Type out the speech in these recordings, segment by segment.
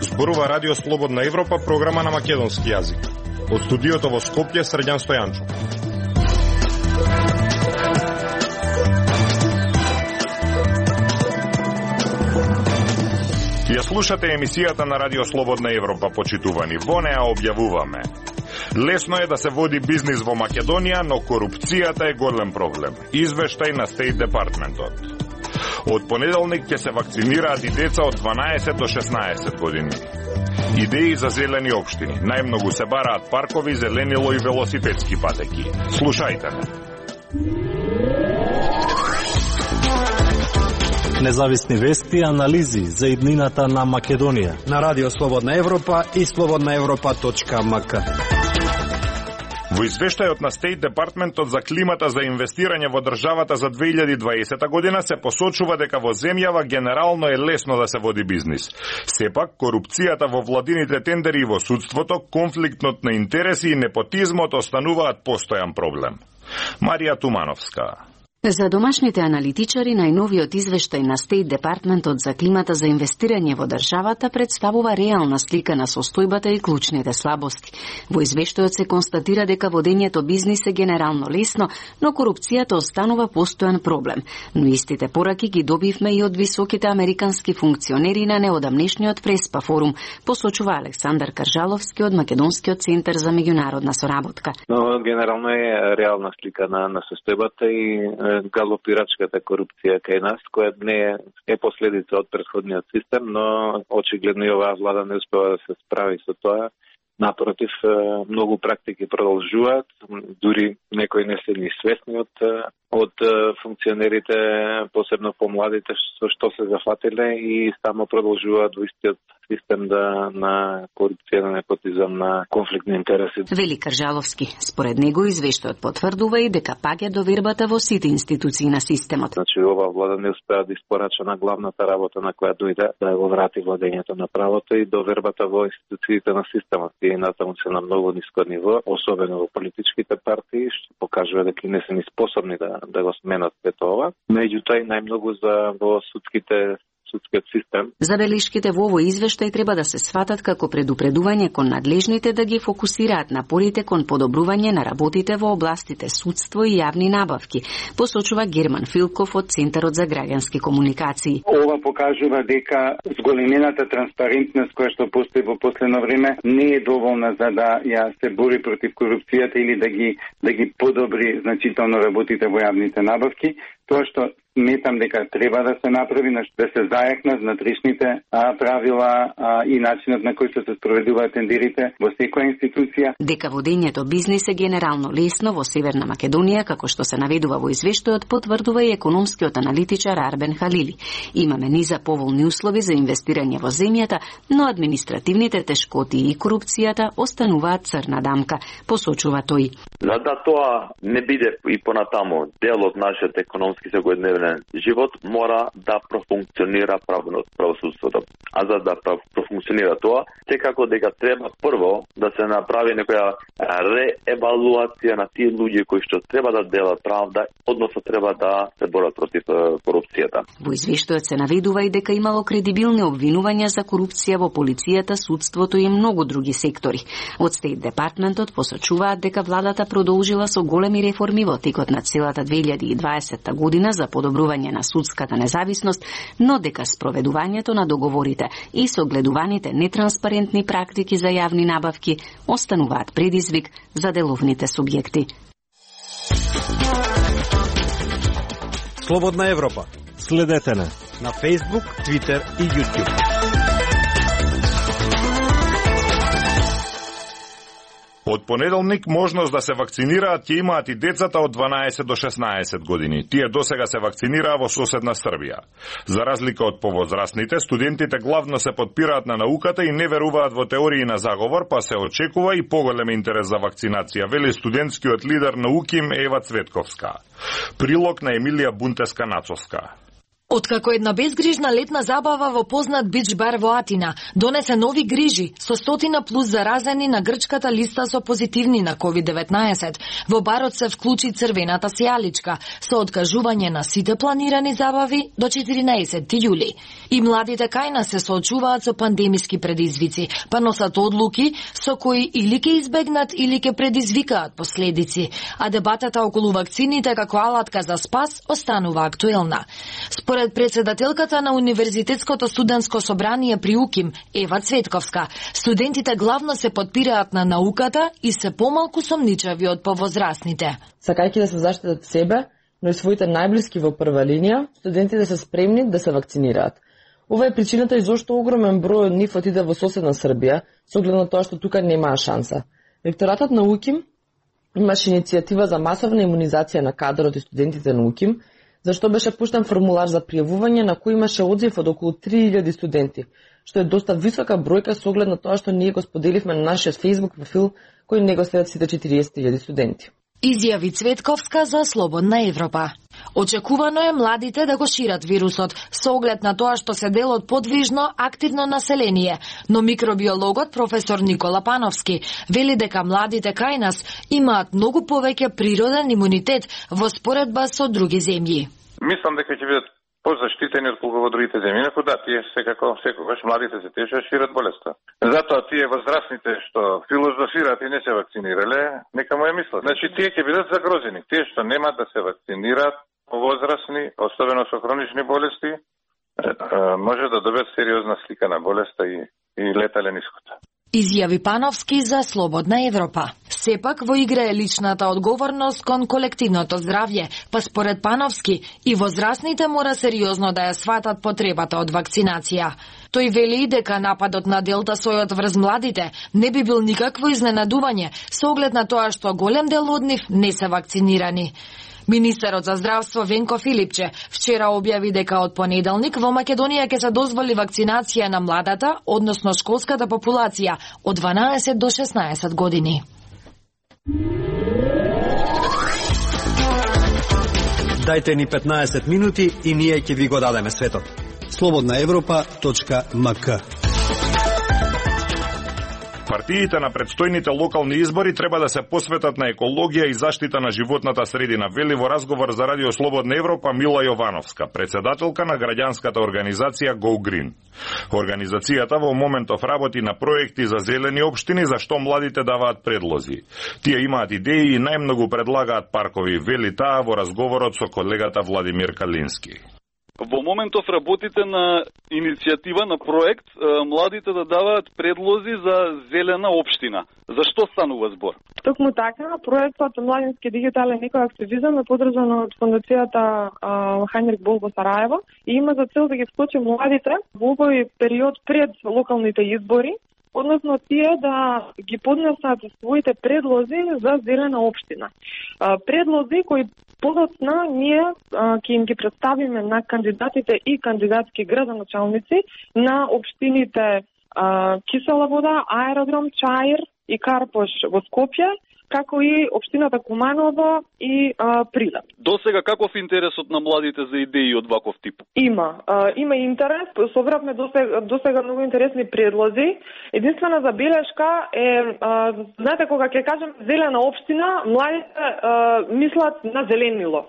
Зборува Радио Слободна Европа, програма на македонски јазик. Од студиото во Скопје, Срđan Стојанчов. Ја слушате емисијата на Радио Слободна Европа, почитувани. Во неа објавуваме: лесно е да се води бизнис во Македонија, но корупцијата е голем проблем. Извештај на Стейт Департментот. Од понеделник ќе се вакцинираат и деца од 12 до 16 години. Идеи за зелени општини. Најмногу се бараат паркови, зеленило и велосипедски патеки. Слушајте ме. Независни вести и анализи за иднината на Македонија на Радио Слободна Европа и slobodnaevropa.mk. Во извештајот на Стейт Департментот за климата за инвестирање во државата за 2020 година се посочува дека во земјава генерално е лесно да се води бизнис. Сепак, корупцијата во владините тендери и во судството, конфликтот на интереси и непотизмот остануваат постојан проблем. Марија Тумановска. За домашните аналитичари, најновиот извештај на Стейт Департментот за климата за инвестирање во државата представува реална слика на состојбата и клучните слабости. Во извештајот се констатира дека водењето бизнис е генерално лесно, но корупцијата останува постојан проблем. Но истите пораки ги добивме и од високите американски функционери на неодамнешниот Преспа форум, посочува Александар Каржаловски од Македонскиот центар за меѓународна соработка. Но генерално е реална слика на состојбата и галопирачката корупција кај нас, која не е последица од претходниот систем, но очигледно и оваа влада не успева да се справи со тоа. Напротив, многу практики продолжуваат, дури некои не се ни свесни од функционерите, посебно помладите, со што се зафатиле и само продолжуваат во истиот систем на корупција, на непотизам, на конфликт на интереси. Вели Каржаловски. Според него извештајот потврдува и дека паѓа довербата во сите институции на системот. Значи, оваа влада не успеа да испорача на главната работа на која дојде да го врати владењето на правото и довербата во институциите на системот. И натаму се на многу ниско ниво, особено во политичките партии, што покажува дека не се ни способни да го сменат сето ова. Меѓутоа и најмногу во судскиот систем. Забелишките во овој извештај треба да се сватат како предупредување кон надлежните да ги фокусираат напорите кон подобрување на работите во областите судство и јавни набавки, посочува Герман Филков од Центарот за граѓански комуникации. Ова покажува дека зголемената транспарентност која што постои во последно време не е доволна за да ја се бори против корупцијата или да ги подобри значително работите во јавните набавки. Тоа што сметам дека треба да се направи, да се зајакнат внатрешните правила и начинот на кој што се спроведуваат тендерите во секоја институција. Дека водењето бизнис е генерално лесно во Северна Македонија, како што се наведува во извештајот, потврдува и економскиот аналитичар Арбен Халили. Имаме низа поволни услови за инвестирање во земјата, но административните тешкоти и корупцијата остануваат црна дамка, посочува тој. За да тоа не биде и понатамо дел од нашиот економски секојдневен живот, мора да профункционира правосудството. А за да профункционира тоа, секако дека треба прво да се направи некоја реевалуација на тие луѓе кои што треба да делат правда, односно треба да се борат против корупцијата. Во извештајот се наведува и дека имало кредибилни обвинувања за корупција во полицијата, судството и многу други сектори. Од Стейт Департментот посочуваат дека владата продолжила со големи реформи во текот на целата 2020 година за подобрување на судската независност, но дека спроведувањето на договорите и согледуваните нетранспарентни практики за јавни набавки остануваат предизвик за деловните субјекти. Слободна Европа. Следете на Facebook, Twitter и YouTube. Од понеделник можност да се вакцинираат ќе имаат и децата од 12 до 16 години. Тие досега се вакцинираа во соседна Србија. За разлика од повозрастните, студентите главно се подпираат на науката и не веруваат во теории на заговор, па се очекува и поголем интерес за вакцинација, вели студентскиот лидер на УКИМ Ева Цветковска. Прилог на Емилија Бунтеска-Нацовска. Откако една безгрижна летна забава во познат бич бар во Атина донесе нови грижи со 100+ заразени на грчката листа со позитивни на COVID-19, во барот се вклучи црвената сијаличка со откажување на сите планирани забави до 14 јули. И младите кај нас се соочуваат со пандемиски предизвици, па носат одлуки со кои или ќе избегнат или ќе предизвикаат последици, а дебатата околу вакцините како алатка за спас останува актуелна. Според председателката на Универзитетското студентско собрание при УКИМ, Ева Цветковска, студентите главно се подпираат на науката и се помалку сомничави од повозрасните. Сакајќи да се заштитат себе, но и своите најблиски во прва линија, студентите се спремни да се вакцинираат. Ова е причината и зошто огромен број од нив отиде во соседна Србија, со оглед на тоа што тука немаа шанса. Ректоратот на УКИМ имаше иницијатива за масовна имунизација на кадрот и студентите на УКИМ, зашто беше пуштен формулар за пријавување на кој имаше одзив од околу 3000 студенти, што е доста висока бројка со оглед на тоа што ние го споделивме на нашиот Facebook профил кој не го следат сите 40.000 студенти. Изјави Цветковска за Слободна Европа. Очекувано е младите да го шират вирусот, со оглед на тоа што се дел од подвижно, активно население, но микробиологот професор Никола Пановски вели дека младите кај нас имаат многу повеќе природен имунитет во споредба со други земји. Мислам дека ќе бидат позаштитени отколку во другите земји. Инаку да, тие секако секогаш младите се тешат шират болеста. Затоа тие возрастните што филозофираат и не се вакцинирале, нека му ја мислат. Значи тие ќе бидат загрозени. Тие што нема да се вакцинираат, возрастни, особено со хронични болести, може да добиат сериозна слика на болеста и летален исход. Изјави Пановски за Слободна Европа. Сепак во игра е личната одговорност кон колективното здравје, па според Пановски и возрастните мора сериозно да ја сватат потребата од вакцинација. Тој вели дека нападот на Делта сојот врз младите не би бил никакво изненадување со оглед на тоа што голем дел од нив не се вакцинирани. Министерот за здравство Венко Филипче вчера објави дека од понеделник во Македонија ќе се дозволи вакцинација на младата, односно школската популација од 12 до 16 години. Дајте ни 15 минути и ние ќе ви го дадеме светот. slobodnaevropa.mk. Партиите на предстојните локални избори треба да се посветат на екологија и заштита на животната средина, вели во разговор за Радио Слободна Европа Мила Јовановска, председателка на граѓанската организација Go Green. Организацијата во моментов работи на проекти за зелени општини за што младите даваат предлози. Тие имаат идеи и најмногу предлагаат паркови, вели таа во разговорот со колегата Владимир Калински. Во моментов работите на иницијатива, на проект, младите да даваат предлози за зелена општина. За што станува збор? Токму така, проектот Младински дигитален екоактивизам е подржан од фондацијата Хајнрих Бол во Сараево и има за цел да ги вклучи младите во овој период пред локалните избори, односно тие да ги поднесат своите предлози за зелена општина. Предлози кои подоцна ние ќе им ги представиме на кандидатите и кандидатски градоначалници на општините Кисела вода, Аеродром, Чаир и Карпош во Скопје, како и општината Куманово и Прилеп. Досега каков интересот на младите за идеи од ваков тип? Има интерес, собравме досега многу интересни предлози. Единствена забелешка е, знаете, кога ќе кажем зелена општина, младите мислат на зеленило.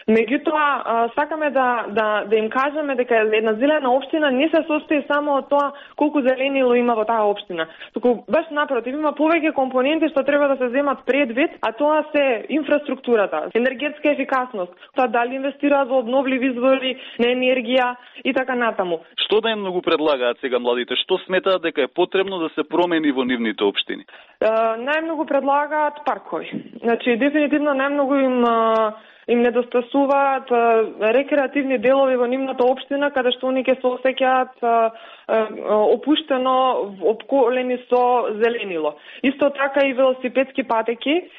Меѓутоа, сакаме да им кажеме дека една зелена општина не се состои само од тоа колку зеленило има во таа општина. Туку баш напротив, има повеќе компоненти што треба да се земат предвид, а тоа се инфраструктурата, енергетска ефикасност, тоа дали инвестираат во обновливи извори на енергија и така натаму. Што најмногу предлагаат сега младите? Што сметаат дека е потребно да се промени во нивните општини? Најмногу предлагаат паркови. Значи, дефинитивно најмногу им недостасуваат рекреативни делови во нивната општина, каде што они ќе се осеќаат опуштено, обколени со зеленило. Исто така и велосипедски патеки,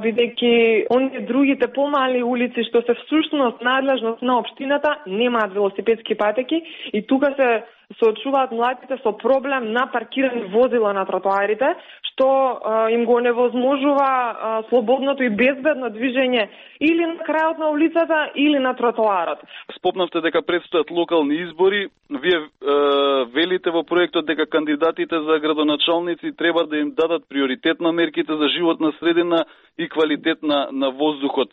бидејќи оние другите помали улици што се всушност надлежност на општината немаат велосипедски патеки и тука се соочуваат младите со проблем на паркирани возила на тротоарите, што им го невозможува слободното и безбедно движење или на крајот на улицата или на тротоарот. Спомнавте дека предстојат локални избори. Вие велите во проектот дека кандидатите за градоначалници треба да им дадат приоритет на мерките за животна средина и квалитет на воздухот.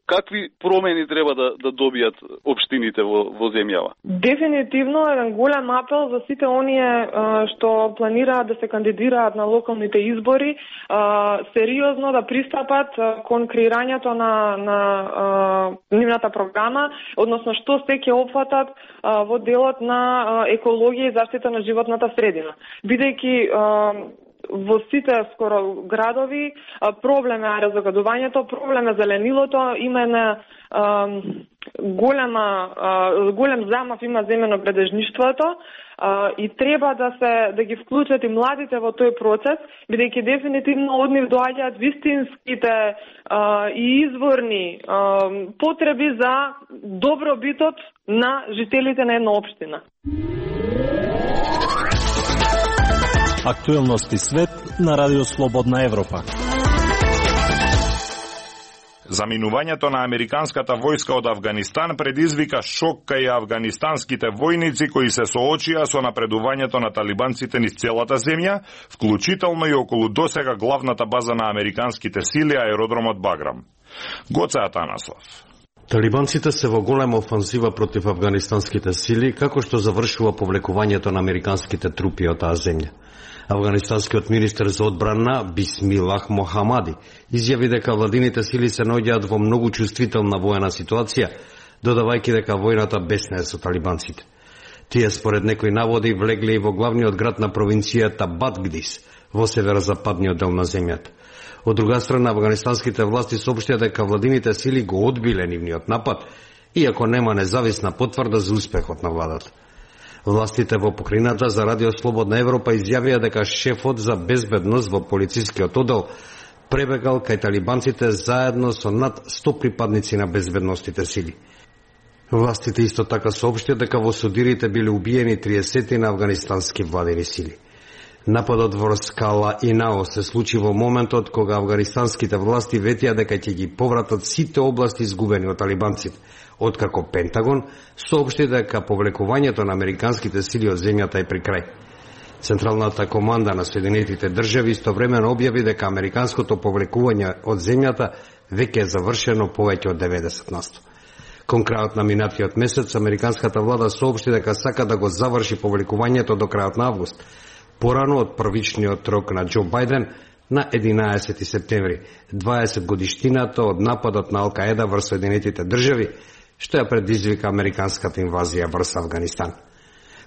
Какви промени треба да добијат општините во земјава? Дефинитивно еден голем апел за сите оние што планираат да се кандидираат на локалните избори, сериозно да пристапат кон креирањето на нивната програма, односно што се ќе опфатат во делот на екологија и заштита на животната средина. Бидејќи во сите скоро градови проблем е аерозагадувањето, проблем е зеленилото, има една голем замав има земјено-градежништвото и треба да ги вклучат и младите во тој процес, бидејќи дефинитивно од нив доаѓаат вистинските и изворни потреби за добробитот на жителите на една општина. Актуелности свет на Радио Слободна Европа. Заминувањето на американската војска од Авганистан предизвика шок кај авганистанските војници кои се соочија со напредувањето на талибанците низ целата земја, вклучително и околу досега главната база на американските сили, аеродромот Баграм. Гоце Атанасов. Талибанците се во голема офанзива против афганистанските сили, како што завршува повлекувањето на американските трупи од таа земја. Афганистанскиот министер за одбрана Бисмилах Мохамади изјави дека владините сили се наоѓаат во многу чувствителна воена ситуација, додавајќи дека војната беснее со талибанците. Тие според некои наводи влегле и во главниот град на провинцијата Бадгдис, во северозападниот дел на земјата. Од друга страна, афганистанските власти соопштија дека владините сили го одбиле нивниот напад, иако нема независна потврда за успехот на владата. Властите во покрајината за Радио Слободна Европа изјавија дека шефот за безбедност во полицискиот оддел пребегал кај талибанците заедно со над 100 припадници на безбедностите сили. Властите исто така соопштија дека во судирите биле убиени 30 на афганистански владени сили. Нападот во Скала и Нао се случи во моментот кога афганистанските власти ветија дека ќе ги повратат сите области изгубени од талибанците, откако Пентагон соопшти дека повлекувањето на американските сили од земјата е при крај. Централната команда на Соединетите држави истовремено објави дека американското повлекување од земјата веќе е завршено повеќе од 90%. Кон крајот на минатиот месец, американската влада соопшти дека сака да го заврши повлекувањето до крајот на август, порано од првичниот рок на Џо Бајден на 11 септември, 20 годиштината од нападот на Ал-Каеда врз Соединетите држави, што ја предизвика американската инвазија врз Авганистан.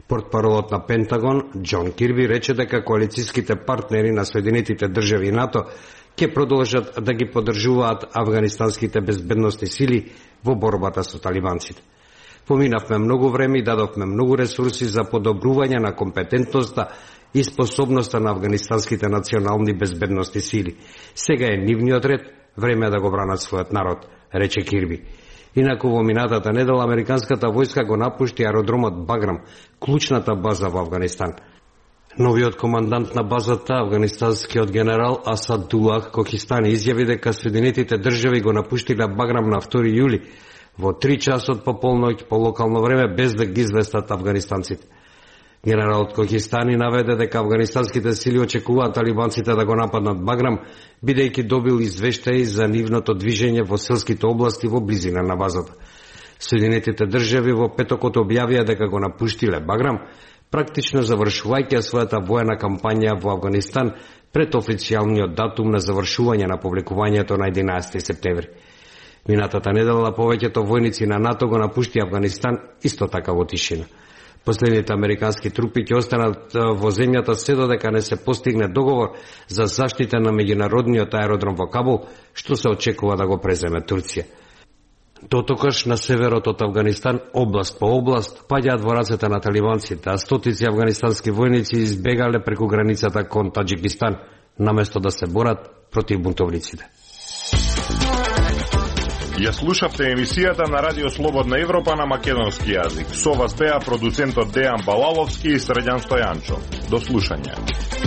Портпаролот на Пентагон, Џон Кирби, рече дека коалициските партнери на Соединетите држави и НАТО ќе продолжат да ги поддржуваат афганистанските безбедностни сили во борбата со талибанците. Поминавме многу време и дадовме многу ресурси за подобрување на компетентноста и способноста на афганистанските национални безбедностни сили. Сега е нивниот ред, време да го бранат својот народ, рече Кирби. Инаку во минатата недела американската војска го напушти аеродромот Баграм, клучната база во Авганистан. Новиот командант на базата, афганистанскиот генерал Асадулах Кохистани, изјави дека Соединетите држави го напуштиле Баграм на 2 јули во 3 часот по полноќ по локално време, без да ги известат афганистанците. Генералот Кохистани наведе дека афганистанските сили очекуваат талибанците да го нападнат Баграм, бидејќи добил извештаи за нивното движење во селските области во близина на базата. Соединетите држави во петокот објавија дека го напуштиле Баграм, практично завршувајќи својата воена кампања во Авганистан пред официјалниот датум на завршување на повлекувањето на 11 септември. Минатата недела повеќето војници на НАТО го напушти Авганистан исто така во тишина. Последните американски трупи ќе останат во земјата се додека не се постигне договор за заштита на меѓународниот аеродром во Кабул, што се очекува да го преземе Турција. Дотокаш на северот од Авганистан, област по област, паѓаат во рацете на талибанците, а стотици афганистански војници избегале преку границата кон Таџикистан, наместо да се борат против бунтовниците. Ја слушавте емисијата на Радио Слободна Европа на македонски јазик. Со вас беа продуцентот Дејан Балаловски и Средјан Стојанчо. До слушање.